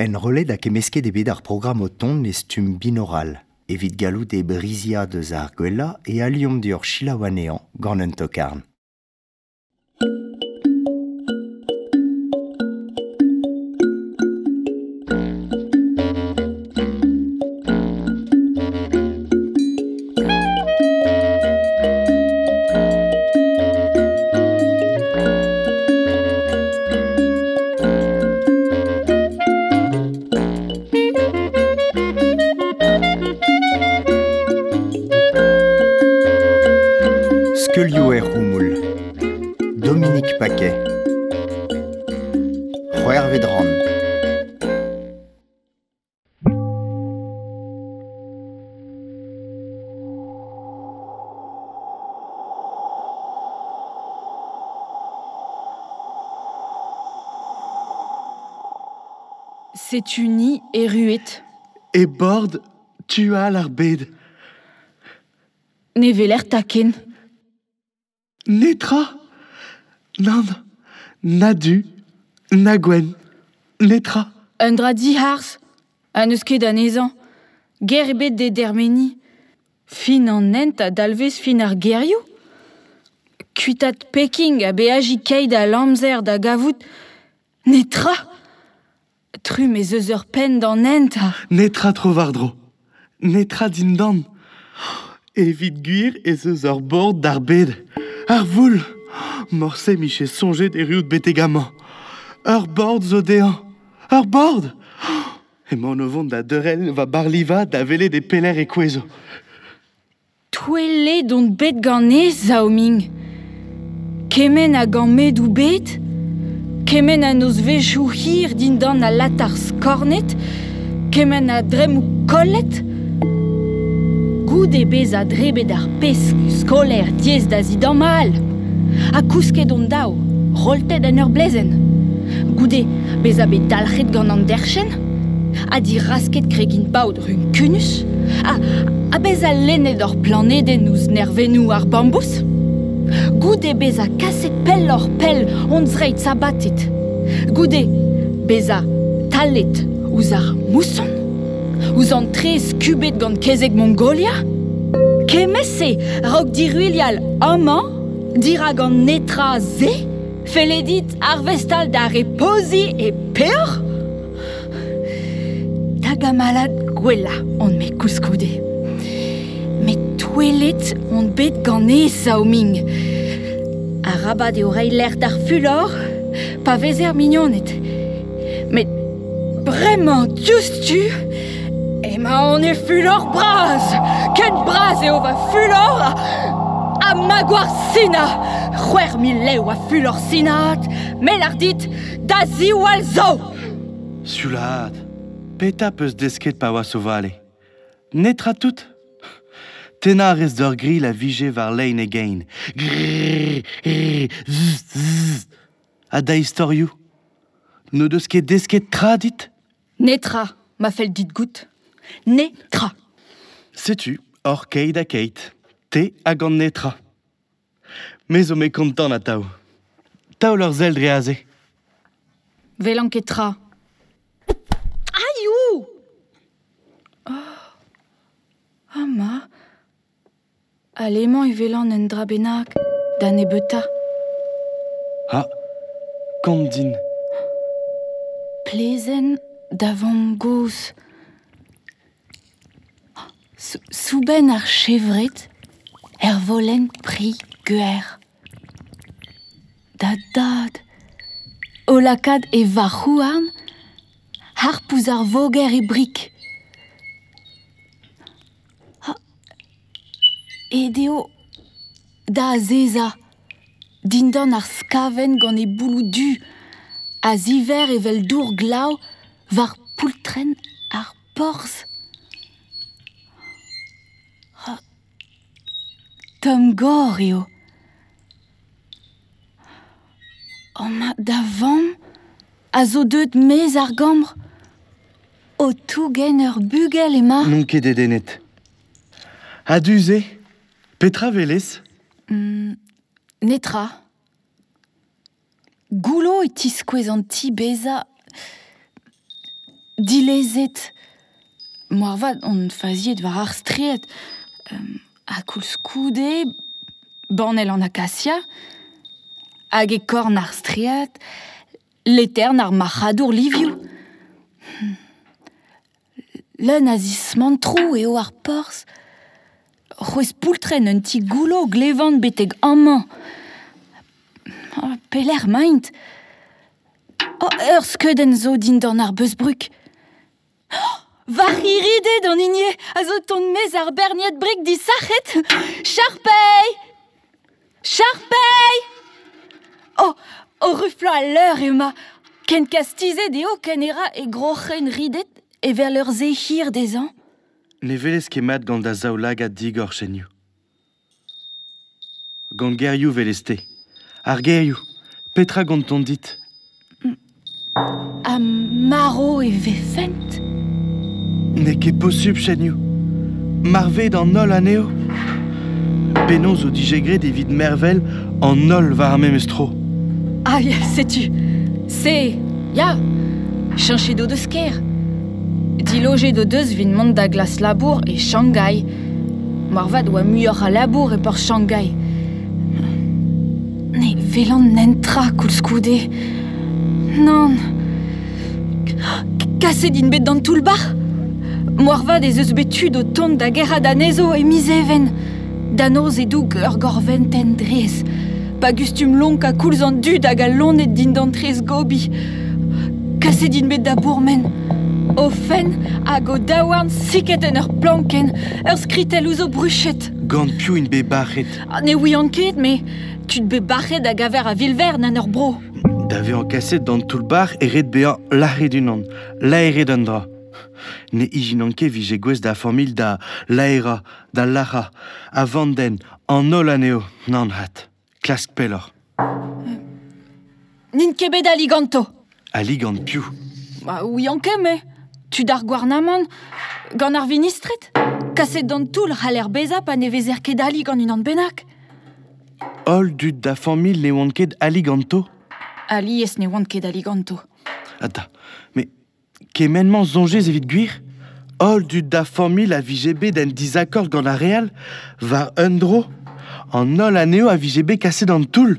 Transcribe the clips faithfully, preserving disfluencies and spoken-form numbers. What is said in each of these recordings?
Enrollet hag kemmesket eo bet ar programm o tont e stumm binoral, evit gallout e briziañ deus ar gwellañ e aliomp deoc'h selaou anezhañ gant un tokarn. Skeulioù er c'houmoul. Dominique Paquet. C'hwec'hvet rann. Setu ni erruet. E bord tual ar bed. Ne weler taken. Netra. Nann, na du, na gwenn, netra. Un dra diharz, ha n'eus ket anezhañ. Ger ebet d'e dermeniñ. Fin an hent a dalvez fin ar gerioù. Kuitat Peking ha beajiñ keit a amzer da gavout. Netra. Trumm ez eus ur penn d'an hent ha... Netra tro war-dro. Netra dindan. Evit gwir ez eus ur bord d'ar bed. Ar voul. Morse 'mije soñjet erruout betek amañ. Ur bord zo dezhañ. Ur bord. Emaon o vont da deurel va barliva da welet e pelec'h e kouezho. Touellet on bet ganez, Zao Ming. Kement a gammedoù bet, kement a nozvezhioù hir dindan al latar skornet, kement a dremmoù kollet. Goude bezañ drebet ar pesk skolaer diaes da zidamall. Ha kousket hon daou, roltet en ur blezenn. Goude bezañ bet dalc'het gant an derchenn, ha dirasket kregin paotr runkunus, ha, ha bezañ lennet hor planedenn ouzh nervennoù ar bambouz. Goude bezañ kaset pelloc'h pell hon zreid sabatet. Goude bezañ talet ouzh ar mousson, ouzh an traezh skubet gant kezeg Mongolia. Kement-se raok diruilhal amañ, dirak an netra se, felle dit arvestal da repoziñ e peoc'h. Da gamalad gwellañ on-me koulskoude. Met touellet on bet ganez, Zao Ming. Arabat eo reiñ lec'h d'ar fulor, pa vezer mignoned. Met bremañ diouzhtu, emaon e fulor bras. Ken bras eo va fulor ha ma gwar Sina. C'hwec'h mil lev a fulor sinaat, me 'lar dit da ziwall zo. Sioulaat, petra 'peus desket pa oas o vale? Netra tout. Tennañ a rez d'ur grilh a vije war lein e gein. Grrr, grrr, zzz, zzz. Ha da istorioù? N'o deus ket desket tra dit? Netra, ma fell dit goût. Netra. Setu hor keit ha keit. Te hag an netra. Me zo me kontant atav. Taol ur sell dre aze. Welan ket tra. Aioù! Oh. Ama. Alemañ e welan un dra bennak, da nebeutañ. Ha, kont din. Plezenn da vamm-gozh. Soubenn ar chevred er volenn pri gwer. Da dad, o lakaat e varc'h-houarn, harp ouzh ar voger e brik. Ha, aet eo da azezañ, dindan ar skavenn gant e bouloù du, a ziver evel dour glav war poultrenn ar porzh. Ha, tomm-gor eo. Oh ma, da vamm a zo deuet maez ar gambr. O tougen ur bugel emañ. N'on ket dedennet. Ha du-se, petra 'welez? Mm, netra. Goullo e tiskouez an ti bezañ Dilezet. Moarvat on faziet war ar straed. Um, ha koulskoude, banell an akasia, hag e korn ar straed, letern ar marc'hadour livioù. Leun a zismantroù eo ar porzh. C'hwezh poultren un ti goullo glevan betek amañ. Oh, pelec'h 'maint. Oh, ur skeudenn zo dindan ar beuzbrug. Oh, war iridet an hini a zo tont mez ar berniad brik disac'het. Charpei! Charpei! Oh, o ruflañ al leur ema. Ken kastizet eo ken era e groc'hen ridet evel ur se hir dezhañ. Ne velez ket mat gant da zaoulagad digor, Chenioù. Gant gerioù velez-te. Ar gerioù, petra gantont dit? Ha marv e vefent? N'eo ket posupl, Chenioù. Marvet an holl anezho. Penaos o dije graet evit mervel an holl war ar memes tro. Ah, ya, setu. Se, ya, cheñchet o deus kêr. Dilojet o deus evit mont da glask labour e Shanghai. Moarvat oa muioc'h a labour e porzh Shanghai. Ne welan netra koulskoude. Nann. Kaset int bet d'an toull-bac'h. Moarvat ez eus bet tud o tont da gerc'hat anezho e miz Even. Da noz e-doug ur gorventenn drez. Pa gustum lonkañ koulz an dud hag al loened dindan traezh Gobi. Kaset int bet da bourmen. O fenn hag o daouarn siket en ur plankenn, ur skritell ouzh o bruched. Gant piv int bet bac'het? Ah, ne ouian ket, met tud bet bac'het a gaver a-vil-vern en hor bro. Da vezañ kaset d'an toull-bac'h e ret bezañ lâret unan, laeret un dra. Ne ijinan ket vije gouest da familh da laerañ, da lac'hañ, a vandenn, an holl anezho, nann 'vat. Klask pelloc'h. N'int ket bet ali ganto. Ali gant piv? Ba, ouian ket, me. Tud ar gouarnamant, gant ar vinistred. Kaset d'an toull c'haller bezañ pa ne vezer ket ali gant unan bennak. Holl dud da familh ne oant ket ali ganto? Alies ne oant ket ali ganto. Ata, met kement-mañ soñjez evit gwir? Holl dud da familh a vije bet en dizakord gant ar re all, war un dro. An holl anezho a vije bet kaset d'an toull.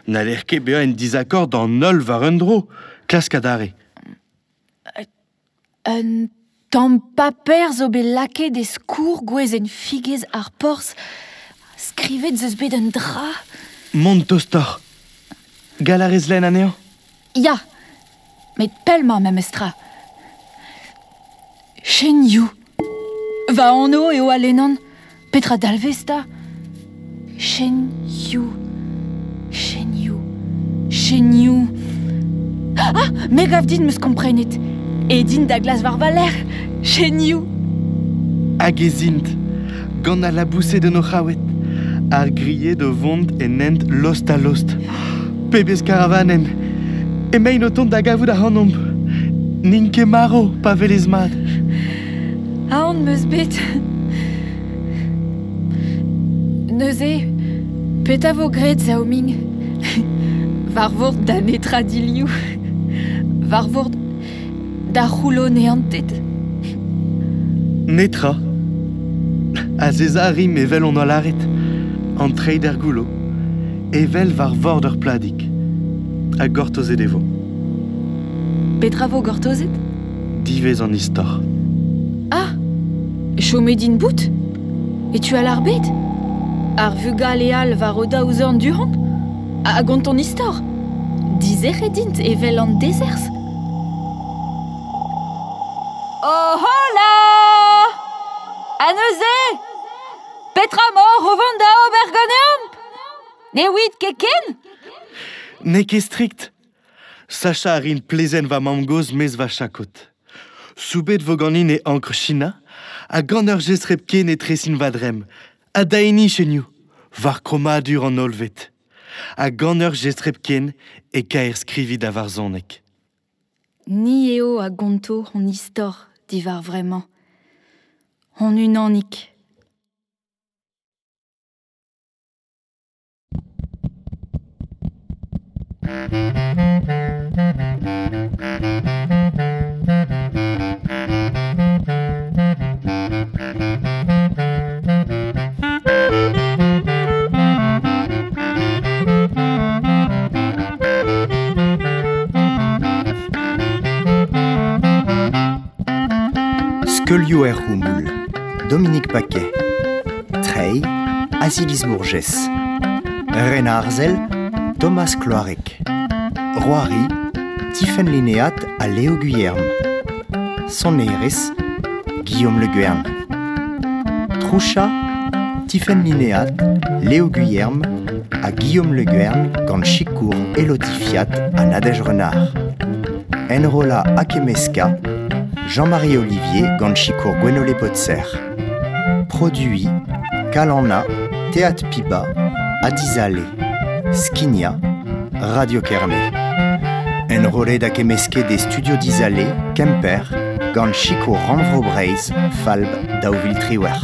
N'haller ket bezañ en dizakord an holl war un dro. Klask adarre. Un tamm paper zo bet lakaet e skourr gwezenn figez ar porzh. Skrivet 'z eus bet un dra. Mont tostoc'h. Gall a rez lenn anezhañ? Ya, met pell-mañ memestra. Chen Yu. Va anv eo a lennan. Petra dalvez 'ta? Chen Yu. Chen Yu. Chen Yu. Ah, me gav din 'm eus komprenet. Aet int da glask war va lerc'h. Chen Yu. Hag ez int, gant al laboused en o c'haoued, ar grilhed o vont en hent lost a lost. Pebezh karavanenn! Emaint o tont da gavout ac'hanomp. N'int ket marv, pa welez mat. Aon 'm eus bet. Neuze, petra vo graet, Zao Ming? War vord da netra diliv. War vord da c'houllo neantet. Netra. Azezañ a rimp evel hon doa lâret. An treid er goullo. Evel war vord ur pladig. Ha gortozet e vo. Petra vo gortozet? Diwezh an istor. Ah, chomet int bout? E tu all ar bed? Ar vugale all war o daou zorn du-hont? A gont an istor? Dizec'het int evel an dezerzh? Oh hola! Ha neuze? Petra 'maoc'h o vont da ober ganeomp? Ne ouiit ket ken? N'eo ket strikt. Sachañ a rin plezenn va mamm-gozh 'maez va chakod. Soubet vo ganin e ankr China, ha gant ur jestr hepken e tresin va dremm. Ha da hini, Chenioù, war krommadur an hollved. Ha gant ur jestr hepken e kaerskrivi da varzhoneg. Ni eo a gonto hon istor diwar vremañ. Hon unanik. Skeulioù er c'houmoul, Dominique Paquet. Treiñ, Aziliz Bourgès. Ren Arzel, Thomas Cloarec. Roari, Tifenn Linéat ha Léo Guillerm. Sonerezh, Guillaume Le Guern. Troucha, Tifenn Linéat, Léo Guillerm ha Guillaume Le Guern gant sikour Elodie Fiat ha Nadège Renard. Enrollañ ha kemmeskañ, Jean-Marie Ollivier gant sikour Gwenole Potser. Produiñ, Kalanna, Théâtre Piba, ha Dizale. Skignañ, Radio Kerne. Enrollet ha kemmesket e studio Dizale, Kemper, gant sikour Rannvro Breizh, Falb, daou vil triwec'h.